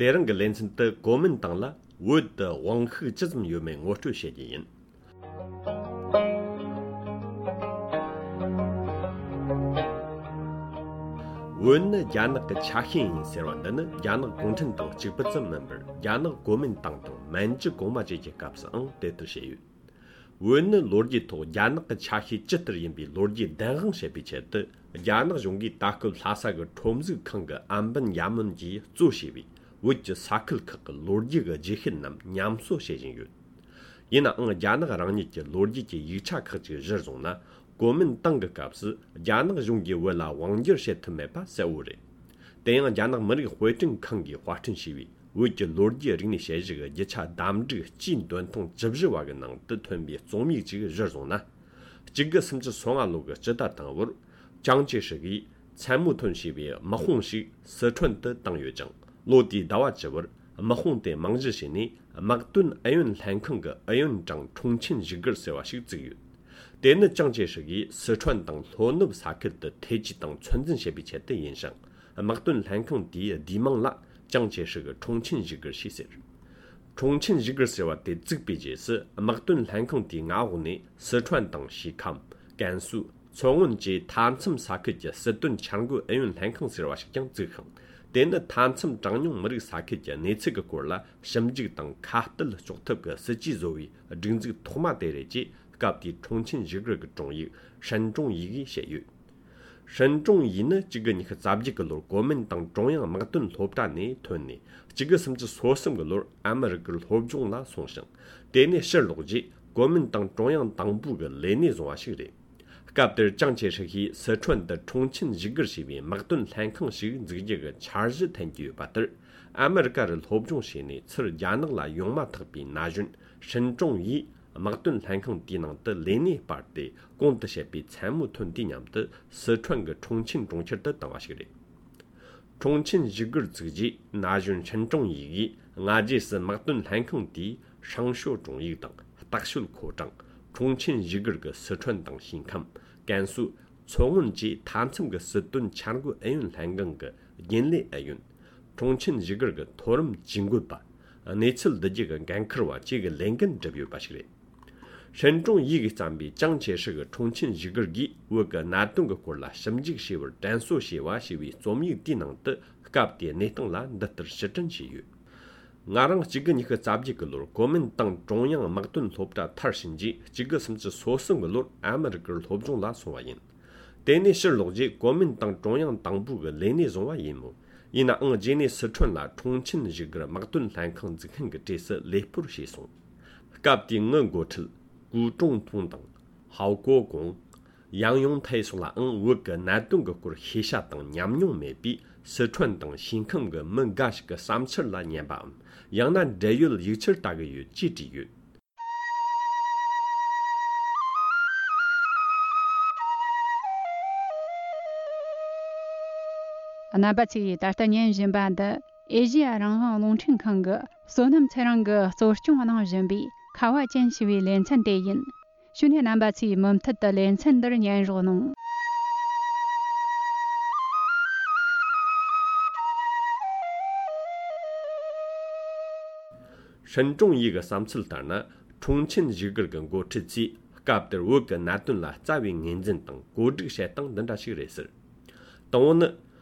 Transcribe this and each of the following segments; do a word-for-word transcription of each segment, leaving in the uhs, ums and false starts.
དེ་རིང་གི་ལེ་ཚན་དུ་གོ་མིན་ཏང་ལ་བོད་དུ་དབང་ཤུགས་ཅི་ཙམ་ཡོད་མེད་ངོ་སྤྲོད་བྱེད་རྒྱུ་ཡིན། བོད་ནི་རྒྱ་ནག་གི་ཆ་ཤས་ཡིན་ཟེར་བ་འདི་ནི་རྒྱ་ནག་གུང་ཁྲན་ཏང་གཅིག་པུ་ཙམ་མིན་པར། རྒྱ་ནག་གོ་མིན་ཏང་དང་མན་ཇུ་གོང་མ་བཅས་ཀྱི་སྐབས་སུའང་དེ་ལྟར་བྱས་ཡོད། བོད་ནི་ལོ་རྒྱུས་ཐོག་རྒྱ་ནག་གི་ཆ་ཤས་ཇི་ལྟར་ཡིན་པའི་ལོ་རྒྱུས་བདེན་དཔང་བྱེད་པའི་ཆེད་དུ། རྒྱ་ནག་གཞུང་གིས་ད་སྐབས་ལྷ་ས་གི་ཁྲོམ་གཟུགས་ཁང་གི་ཨམ་བན་ཡ་མོན་གྱིས་གཙོ་བྱས་པའི་བོད་ཀྱི་ས་ཁུལ་ཁག་གི་ལོ་རྒྱུས་ཀྱི་རྗེས་ཤུལ་རྣམས་ཉམས་གསོ་བྱེད་བཞིན་ཡོད། ཡིན་ནའང་རྒྱ་ནག་རང་ཉིད་ཀྱི་ལོ་རྒྱུས་ཀྱི་ཡིག་ཆ་ཁག་ཅིག་གཞིར་བཟུང་ན། གོ་མིན་ཏང་གི་སྐབས་སུ་རྒྱ་ནག་གཞུང་གིས་བོད་ལ་དབང་སྒྱུར་བྱེད་ཐུབ་མེད་པ་གསལ་བོ་རེད། དེ་ཡང་རྒྱ་ནག་མི་རིགས་དཔེ་སྐྲུན་ཁང་གིས་དཔར་སྐྲུན་བྱས་པའི་བོད་ཀྱི་ལོ་རྒྱུས་རིག་གནས་དཔྱད་གཞི་གི་རྒྱུ་ཆ་བདམས་སྒྲིག་སྤྱིའི་འདོན་ཐེངས་བཅུ་བཞི་བ་གི་ནང་དུ་ཐོན་པའི་རྩོམ་ཡིག་ཅིག་གཞིར་བཟུང་ན། གཅིག་དགུ་སུམ་ཅུ་སོ་ལྔ་ལོ་གི་སྤྱི་ཟླ་དང་པོར། ཅང་ཅེ་ཧྲི་གིས་མཚན་མོ་ཐོན་བྱས་པའི་དམག་དཔུང་ཞིག་སི་ཁྲོན་དུ་བཏང་ཡོད་ཅིང་། ལོ་དེའི་ཟླ་བ་བཅུ་བར་དམག་དཔུང་དེ་རྨང་གཞི་བྱས་ནས། དམག་དོན་ཨུ་ཡོན་ལྷན་ཁང་གི་ཨུ་ཡོན་ཀྲང་ཁྲུང་ཆིན་བཞུགས་སྒར་ཟེར་བ་ཞིག་བཙུགས་ཡོད། དེ་ནི་ཅང་ཅེ་ཧྲི་གིས་སི་ཁྲོན་དང་ལྷོ་ནུབ་ས་ཁུལ་དུ་ཐེ་ཇུས་དང་ཚོད་འཛིན་བྱེད་པའི་ཆེད་དུ་ཡིན་ཞིང་། དམག་དོན་ལྷན་ཁང་དེའི་བསྡུས་མིང་ལ་ཅང་ཅེ་ཧྲི་གི་ཁྲུང་ཆིན་བཞུགས་སྒར་ཞེས་ཟེར། ཁྲུང་ཆིན་བཞུགས་སྒར་ཟེར་བ་དེ་བཙུགས་པའི་རྗེས་སུ། དམག་དོན་ལྷན་ཁང་དེའི་མངའ་འོག་ནས་སི་ཁྲོན་དང་ཞི་ཁམས། ཀན་སུའུ། མཚོ་སྔོན་བཅས་མཐའ་མཚམས་ས་ཁུལ་གྱི་སྲིད་དོན་འཆར་འགོད་ཨུ་ཡོན་ལྷན་ཁང་ཟེར་བ་ཞིག་ཀྱང་བཙུགས་ཤིང་། དེ་ནི་མཐའ་མཚམས་གྲངས་ཉུང་མི་རིགས་ས་ཁུལ་གྱི་གནས་ཚུལ་གྱི་སྐོར་ལ་ཞིབ་འཇུག་དང་ཁ་གཏད་གཅོག་ཐབས་ཀྱི་སྲིད་ཇུས་བཟོ་བའི་སྒྲིག་འཛུགས་ཐོག་མ་དེ་རེད་ཅེས། སྐབས་དེའི་ཁྲུང་ཆིན་བཞུགས་སྒར་གྱི་དྲུང་ཡིག་ཧྲན་ཀྲུང་ཡི་གིས་བཤད་ཡོད། ཧྲན་ཀྲུང་ཡི་ནི་གཅིག་དགུ་ཉི་ཤུ་རྩ་བརྒྱད་ཀྱི་ལོར་གོ་མིན་ཏང་ཀྲུང་དབྱང་དམག་དོན་སློབ་གྲྭ་ནས་ཐོན་ནས། གཅིག་དགུ་སུམ་ཅུ་སོ་གསུམ་གྱི་ལོར་ཨ་མི་རི་ཀར་སློབ་སྦྱོང་ལ་སོང་ཞིང་། དེ་ནས་ཕྱིར་ལོག་རྗེས་གོ་མིན་ཏང་ཀྲུང་དབྱང་དང་པོ་གི་ལས་གནས་བཟུང་བ་ཞིག་རེད། སྐབས་དེར་ཅང་ཅེ་ཧྲི་ཧིས་སི་ཁྲོན་དུ་ཁྲུང་ཆིན་བཞུགས་སྒར་ཞེས་པའི་དམག་དོན་ལྷན་ཁང་ཞིག་འཛུགས་རྒྱུ་གི་འཆར་གཞི་འཐེན་གྱི་ཡོད་པ་ལྟར། ཨ་མི་རི་ཀ་རུ་སློབ་སྦྱོང་བྱས་ནས་ཚུར་རྒྱ་ནག་ལ་ཡོང་མ་ཐག་པའི་ན་གཞོན་ཧྲིན་ཀྲུང་ཡིས། དམག་དོན་ལྷན་ཁང་དེའི་ནང་དུ་ལས་གནས་སྤར་ཏེ། གོང་དུ་བཤད་པའི་མཚན་མོ་ཐོན་དུས་མཉམ་དུ་སི་ཁྲོན་གྱི་ཁྲུང་ཆིན་གྲོང་ཁྱེར་དུ་བཏང་བ་ཞིག་རེད། ཁྲུང་ཆིན་བཞུགས་སྒར་བཙུགས་རྗེས། ན་གཞོན་ཧྲིན་ཀྲུང་ཡི་གིས་སྔ་རྗེས་སུ་དམག་དོན་ལྷན་ཁང་དེའི་ཧྲང་ཤོ་ཀྲུང་ཡིག་དང་སྟག་ཤོད་ཁོ་ཀྲང་། ཁྲུང་ཆིན་བཞུགས་སྒར་གྱི་སི་ཁྲོན་དང་ཞིང་ཁམས། ཀན་སུའུ། མཚོ་སྔོན་བཅས་མཐའ་མཚམས་ཀྱི་སྲིད་དོན་འཆར་འགོད་ཨུ་ཡོན་ལྷན་ཁང་གི་རྒྱུན་ལས་ཨུ་ཡོན། ཁྲུང་ཆིན་བཞུགས་སྒར་གྱི་མཐོ་རིམ་ཇུས་འགོད་པ། གནས་ཚུལ་བསྡུ་རྒྱུ་གི་འགན་འཁུར་བ་བཅས་ཀྱི་ལས་འགན་བསྒྲུབས་ཡོད་པ་ཞིག་རེད། ཧྲིན་ཀྲུང་ཡི་གིས་བརྩམས་པའི་ཅང་ཆེ་ཧྲི་གི་ཁྲུང་ཆིན་བཞུགས་སྒར་གྱིས་བོད་ཀྱི་གནད་དོན་གྱི་སྐོར་ལ་ཞིབ་འཇུག་བྱས་པར་དྲན་གསོ་བྱས་པ་ཞེས་པའི་རྩོམ་ཡིག་དེའི་ནང་དུ། སྐབས་དེའི་གནས་སྟངས་ལ་འདི་ལྟར་ཕྱིར་དྲན་བྱས་ཡོད། ང་རང་གཅིག་དགུ་ཉི་ཤུ་རྩ་བརྒྱད་ཀྱི་ལོར་གོ་མིན་ཏང་ཀྲུང་དབྱང་དམག་དོན་སློབ་གྲྭ་མཐར་ཕྱིན་རྗེས། གཅིག་དགུ་སུམ་ཅུ་སོ་གསུམ་གྱི་ལོར་ཨ་མི་རི་ཀར་སློབ་སྦྱོང་ལ་སོང་བ་ཡིན། དེ་ནས་ཕྱིར་ལོག་རྗེས་གོ་མིན་ཏང་ཀྲུང་དབྱང་དང་པོ་གི་ལས་གནས་བཟུང་བ་ཡིན་མོད། ཡིན་ནའང་རྗེས་ནས་སི་ཁྲོན་ལ་ཁྲུང་ཆིན་བཞུགས་སྒར་དམག་དོན་ལྷན་ཁང་འཛུགས་མཁན་གྱི་གྲས་སུ་ལས་སྤོར་བྱས་སོང་། སྐབས་དེའི་ངི་འགོ་ཁྲིད་ཀུའུ་ཀྲུང་ཐུང་དང་ཧའོ་ཀོ་ཀོང་། ཡང་ཡུང་ཐའེ་སོགས་ལའང་བོད་ཀྱི་གནད་དོན་གྱི་སྐོར་ཤེས་བྱ་དང་ཉམས་མྱོང་མེད་པས། སི་ཁྲོན་དང་ཞིང་ཁམས་ཀྱི་མི་འགའ་ཞིག་གི་བསམ་འཆར་ལ་ཉན་པའམ། ཡང་ན་འབྲེལ་ཡོད་ཡིག་ཆར་ལྟ་གི་ཡོད་ཅེས་བྲིས་ཡོད། རྣམ་པ་ཚོས་ད་ལྟ་ཉན་བཞིན་པ་འདི་ཨེ་ཤེ་ཡ་རང་དབང་རླུང་འཕྲིན་ཁང་གི་བསོད་ནམས་ཚེ་རིང་གིས་གཙོ་སྐྱོང་གནང་བཞིན་པའི་ཁ་བ་ཅན་ཞེས་པའི་ལེ་ཚན་དེ་ཡིན། ཞུ་ནས་རྣམ་པ་ཚོས་མུ་མཐུད་དུ་ལེ་ཚན་འདིར་ཉན་རོགས་གནང་། ཧྲིན་ཀྲུང་ཡི་གི་བསམ་ཚུལ་ལྟར་ན། ཁྲུང་ཆིན་བཞུགས་སྒར་གྱི་འགོ་ཁྲིད་ཚོས་སྐབས་དེར་བོད་ཀྱི་གནད་དོན་ལ་རྩ་བའི་ངོས་འཛིན་དང་བཀོད་སྒྲིག་བྱེད་སྟངས་འདི་འདྲ་ཞིག་རེད་ཟེར། དང་པོ་ནི།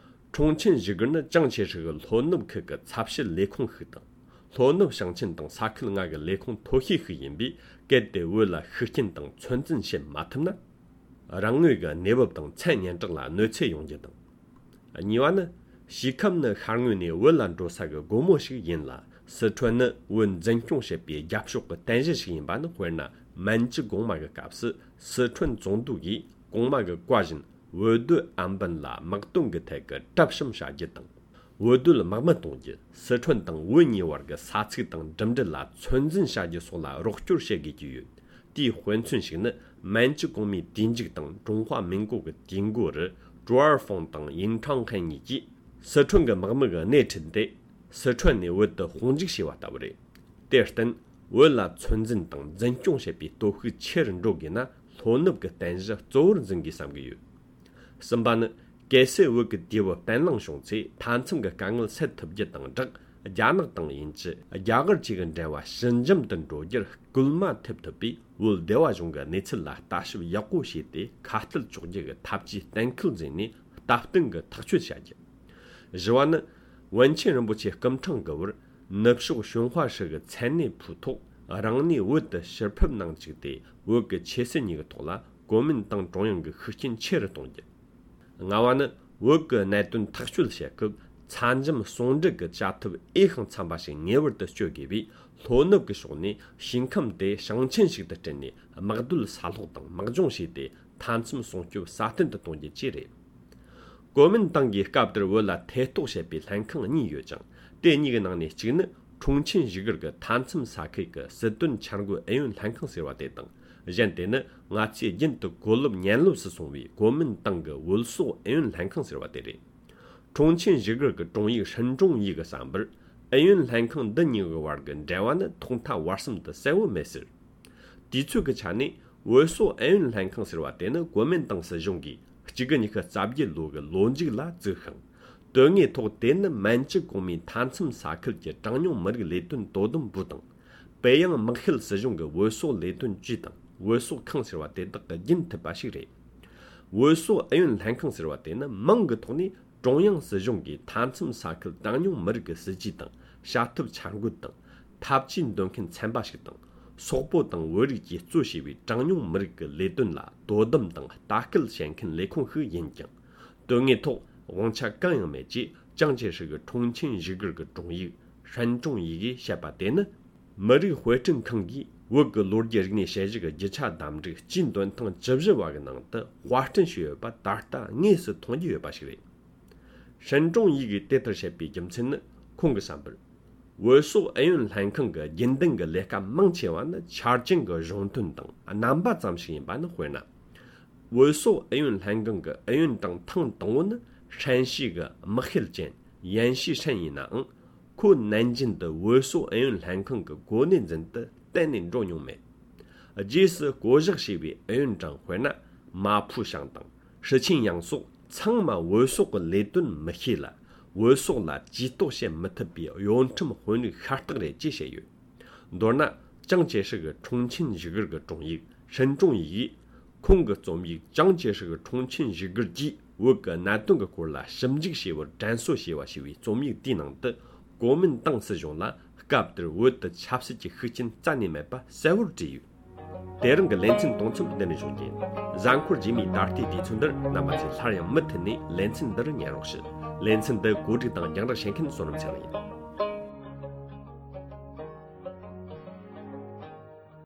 ཁྲུང་ཆིན་བཞུགས་སྒར་ནི་ཅང་ཆེ་ཧྲི་གི་ལྷོ་ནུབ་ཁུལ་གྱི་ཚབ་ཞུས་ལས་ཁུངས་ཤིག་དང་། ལྷོ་ནུབ་ཞིང་ཆེན་དང་ས་ཁུལ་ལྔ་གི་ལས་ཁུངས་མཐོ་ཤོས་ཤིག་ཡིན་པས། གལ་ཏེ་བོད་ལ་ཤུགས་རྐྱེན་དང་ཚོད་འཛིན་བྱེད་མ་ཐུབ་ན། རང་ངོས་ཀྱི་གནས་བབ་དང་མཚན་སྙན་གྲགས་ལ་གནོད་འཚེ་ཡོང་རྒྱུ་དང་། གཉིས་པ་ནི། ཞི་ཁམས་ནི་ཤར་ངོས་ནས་བོད་ལ་འགྲོ་ས་གི་སྒོ་མོ་ཞིག་ཡིན་ལ། སི་ཁྲོན་ནི་བོད་འཛིན་སྐྱོང་བྱེད་པའི་རྒྱབ་ཕྱོགས་ཀྱི་རྟེན་གཞི་ཞིག་ཡིན་པ་ནི། དཔེར་ན། མན་ཇུ་གོང་མ་གི་སྐབས་སུ་སི་ཁྲོན་ཙུང་ཏུའུ་ཡིས་གོང་མ་གི་བཀའ་བཞིན། བོད་སྡོད་ཨམ་བན་ལ་དམག་དོན་གྱི་ཐད་ཀྱི་གྲབས་གཤོམ་བྱ་རྒྱུ་དང་། བོད་སྡོད་དམག་མི་གཏོང་རྒྱུ། སི་ཁྲོན་དང་བོད་གཉིས་བར་གྱི་ས་ཚིགས་དང་འགྲིམ་འགྲུལ་ལ་ཚོད་འཛིན་བྱ་རྒྱུ་སོགས་ལ་རོགས་སྐྱོར་བྱེད་དགོས་ཀྱི་ཡོད། དེའི་དཔེ་མཚོན་ཞིག་ནི། མན་ཇུ་གོང་མའི་དུས་མཇུག་དང་ཀྲུང་ཧྭ་མིན་གོ་གི་དུས་འགོ་རུ། ཀྲུའུ་ཨར་ཧྥང་དང་ཡིན་ཁྲང་ཧན་གཉིས་ཀྱིས། སི་ཁྲོན་གྱི་དམག་མི་གི་སྣེ་ཁྲིད་དེ། སི་ཁྲོན་ནས་བོད་དུ་དཔུང་འཇུག་བྱས་པ་ལྟ་བུ་རེད། དེར་བརྟེན། བོད་ལ་ཚོད་འཛིན་དང་འཛིན་སྐྱོང་བྱེད་པའི་སྟོབས་ཤུགས་ཆེ་རུ་འགྲོ་དགོས་ན། ལྷོ་ནུབ་ཀྱི་རྟེན་གཞི་གཙོ་བོར་འཛིན་དགོས་བསམ་གྱི་ཡོད། གསུམ་པ་ནི། གལ་སྲིད་བོད་ཀྱི་དུས་བབ་བརྟན་ལྷིང་བྱུང་ཚེ། མཐའ་མཚམས་ཀྱི་དཀའ་ངལ་སེལ་ཐུབ་རྒྱུ་དང་སྦྲགས། རྒྱ་ནག་དང་དབྱིན་ཇི། རྒྱ་གར་བཅས་ཀྱི་འབྲེལ་བ་ཞི་འཇམ་དུ་འགྲོ་རྒྱུར་སྐུལ་མ་ཐེབས་ཐུབ་པས། བོད་སྡེ་བ་གཞུང་གི་གནས་ཚུལ་ལ་ལྟ་ཞིབ་ཡག་པོ་བྱས་ཏེ། ཁ་གཏད་གཅོག་རྒྱུ་གི་ཐབས་ཇུས་གཏན་འཁེལ་མཛད་ནས་སྟབས་བསྟུན་གྱི་ཐག་གཅོད་བྱ་རྒྱུ། བཞི་བ་ནི། པཎ་ཆེན་རིན་པོ་ཆེ་སྐུ་ཕྲེང་གི་བར་ནུབ་ཕྱོགས་བྱུང་བ་ཧྲི་གི་མཚན་གནས་ཕུལ་ཐོག་རང་ནས་བོད་དུ་ཕྱིར་ཕེབས་གནང་བཅུག་སྟེ། བོད་ཀྱི་ཆོས་སྲིད་གཉིས་ཀྱི་ཐོག་ལ་གོ་མིན་ཏང་ཀྲུང་དབྱང་གི་ཤུགས་རྐྱེན་ཆེ་རུ་གཏོང་རྒྱུ། ལྔ་བ་ནི། བོད་ཀྱི་གནད་དོན་ཐག་གཅོད་བྱེད་སྐབས་ཚ་འཇམ་ཟུང་འབྲེལ་གྱི་བྱ་ཐབས་འོས་ཤིང་འཚམ་པ་ཞིག་ངེས་པར་དུ་སྤྱོད་དགོས་པས། ལྷོ་ནུབ་ཀྱི་ཕྱོགས་ནས་ཞིང་ཁམས་དེ་ཞིང་ཆེན་ཞིག་ཏུ་བསྐྲུན་ནས། དམག་སྡོད་ས་སློག་དང་དམག་སྦྱོང་བྱས་ཏེ། མཐའ་མཚམས་སྲུང་སྐྱོབ་སྲ་བརྟན་དུ་གཏོང་རྒྱུ་བཅས་རེད། གོ་མིན་ཏང་གིས་སྐབས་དེར་བོད་ལ་ཐེ་གཏོགས་བྱེད་པའི་ལྷན་ཁང་གཉིས་ཡོད་ཅིང་། དེ་གཉིས་ཀྱི་ནང་ནས་གཅིག་ནི། ཁྲུང་ཆིན་བཞུགས་སྒར་གྱི་མཐའ་མཚམས་ས་ཁུལ་གྱི་སྲིད་དོན་འཆར་འགོད་ཨུ་ཡོན་ལྷན་ཁང་ཟེར་བ་དེ་དང་། གཞན་དེ་ནི་ང་ཚོས་རྒྱུན་དུ་གོ་ལོབ་ཉན་ལོབ་སུ་སོང་བའི་གོ་མིན་ཏང་གི་བོད་སོག་ཨུ་ཡོན་ལྷན་ཁང་ཟེར་བ་དེ་རེད། ཁྲུང་ཆིན་བཞུགས་སྒར་གྱི་ཀྲུང་ཡིག་ཧྲིན་ཀྲུང་ཡིག་གི་བསམ་པར། ཨུ་ཡོན་ལྷན་ཁང་འདི་གཉིས་ཀྱི་བར་གྱི་འབྲེལ་བ་ནི་ཐོག་མཐའ་བར་གསུམ་དུ་གསལ་བོ་མེད་ཟེར། དུས་ཚོད་ཀྱི་ཆ་ནས། བོད་སོག་ཨུ་ཡོན་ལྷན་ཁང་ཟེར་བ་དེ་ནི་གོ་མིན་ཏང་སྲིད་གཞུང་གིས་གཅིག་དགུ་ཉི་ཤུ་རྩ་བརྒྱད་ལོ་གི་ལོ་མཇུག་ལ་བཙུགས་ཤིང་། དོན་དངོས་ཐོག་དེ་ནི་མན་ཇུ་གོང་མའི་མཐའ་མཚམས་ས་ཁུལ་གྱི་གྲངས་ཉུང་མི་རིགས་ལས་དོན་དོ་དམ་པུའུ་དང་། པེ་ཡང་དམག་ཤེད་སྲིད་གཞུང་གི་བོད་སོག་ལས་དོན་ཅུས་དང་བོད་སོག་ཁང་ཟེར་བ་དེ་དག་གིས་རྒྱུན་མཐུད་པ་ཞིག་རེད། བོད་སོག་ཨུ་ཡོན་ལྷན་ཁང་ཟེར་བ་དེ་ནི་མིང་གི་ཐོག་ནས་ཀྲུང་དབྱང་སྲིད་གཞུང་གིས་མཐའ་མཚམས་ས་ཁུལ་གྲངས་ཉུང་མི་རིགས་ཀྱི་སྲིད་ཇུས་དང་བྱ་ཐབས་འཆར་འགོད་དང་། འཐབ་ཇུས་འདོན་མཁན་ཚན་པ་ཞིག་དང་། སོག་པོ་དང་བོད་རིགས་ཀྱིས་གཙོ་བྱས་པའི་གྲངས་ཉུང་མི་རིགས་ཀྱི་ལས་དོན་ལ་དོ་དམ་དང་ལྟ་སྐུལ་བྱེད་མཁན་ལས་ཁུངས་ཤིག་ཡིན་ཀྱང་། དོན་དངོས་ཐོག་དབང་ཆ་གང་ཡང་མེད་ཅེས་ཅང་ཅེ་ཧྲི་གི་ཁྲུང་ཆིན་བཞུགས་སྒར་གྱི་ཀྲུང་ཡིག་ཧྲན་ཀྲུང་ཡིག་གིས་བཤད་པ་དེ་ནི། མི་རིགས་དཔེ་སྐྲུན་ཁང་གིས་བོད་ཀྱི་ལོ་རྒྱུས་རིག་གནས་དཔྱད་གཞི་གི་རྒྱུ་ཆ་བདམས་རིགས་སྤྱིའི་འདོན་ཐེངས་བཅུ་བཞི་བ་གི་ནང་དུ་དཔར་སྐྲུན་བྱས་ཡོད་པ་ད་ལྟ་དངོས་སུ་མཐོང་རྒྱུ་ཡོད་པ་ཞིག་རེད། ཧྲན་ཀྲུང་ཡིག་གིས་དེ་ལྟར་བཤད་པའི་རྒྱུ་མཚན་ནི། ཁོང་གི་བསམ་པར། བོད་སོག་ཨུ་ཡོན་ལྷན་ཁང་གི་རྒྱུན་ལྡན་གྱི་ལས་ཀ་མང་ཆེ་བ་ནི་ཆ་རྐྱེན་གྱི་གཞུང་དོན་དང་རྣམ་པ་ཙམ་ཞིག་ཡིན་པ་ནི། དཔེར་ན། བོད་སོག་ཨུ་ཡོན་ལྷན་ཁང་གི་ཨུ་ཡོན་ཀྲང་ཐེངས་དང་པོ་ནི་ཧྲན་ཞི་གི་དམག་ཤེད་ཅན་ཡན་ཞི་ཧྲན་ཡིན་ནའང་། ཁོ་ནན་ཅིན་དུ་བོད་སོག་ཨུ་ཡོན་ལྷན་ཁང་གི་གོ་གནས་འཛིན་དུ་གཏན་ནས་འགྲོ་མྱོང་མེད། རྗེས་སུ་བསྐོ་གཞག་བྱས་པའི་ཨུ་ཡོན་ཀྲང་དཔེར་ན། མ་ཕུ་ཞང་དང་ཧྲི་ཆིན་ཡང་སོགས་ཚང་མ་བོད་སོག་གི་ལས་དོན་མི་ཤེས་ལ། བོད་སོག་ལ་ཇུས་གཏོགས་བྱེད་མི་ཐུབ་པའི་གཡོ་ཁྲམ་དཔོན་རིགས་ཤ་སྟག་རེད་ཅེས་བཤད་ཡོད། མདོར་ན། ཅང་ཅེ་ཧྲི་གི་ཁྲུང་ཆིན་བཞུགས་སྒར་གྱི་ཀྲུང་ཡིག་ཧྲིན་ཀྲུང་ཡིག་གིས། ཁོང་གི་རྩོམ་ཡིག་ཅང་ཅེ་ཧྲི་གི་ཁྲུང་ཆིན་བཞུགས་སྒར་གྱིས་བོད་ཀྱི་གནད་དོན་གྱི་སྐོར་ལ་ཞིབ་འཇུག་བྱས་པར་དྲན་གསོ་ཞེས་པ་ཞེས་པའི་རྩོམ་ཡིག་དེའི་ནང་དུ། གོ་མིན་ཏང་སྲིད་གཞུང་ལ་སྐབས་དེར་བོད་དུ་ཆབ་སྲིད་ཀྱི་ཤུགས་རྐྱེན་རྩ་ནས་མེད་པ་གསལ་བོར་བྲིས་ཡོད། དེ་རིང་གི་ལེ་ཚན་གཏོང་མཚམས་འདི་ནས་འཇོག་རྒྱུ་ཡིན། གཟའ་འཁོར་རྗེས་མའི་ད་ལྟའི་དུས་ཚོད་འདིར་རྣམ་པ་ཚོས་སླར་ཡང་མུ་མཐུད་ནས་ལེ་ཚན་འདིར་ཉན་རོགས་ཞུ། ལེ་ཚན་འདི་གོ་སྒྲིག་དང་རྒྱང་བསྒྲགས་བྱེད་མཁན་བསོད་ནམས་ཚེ་རིང་ཡིན།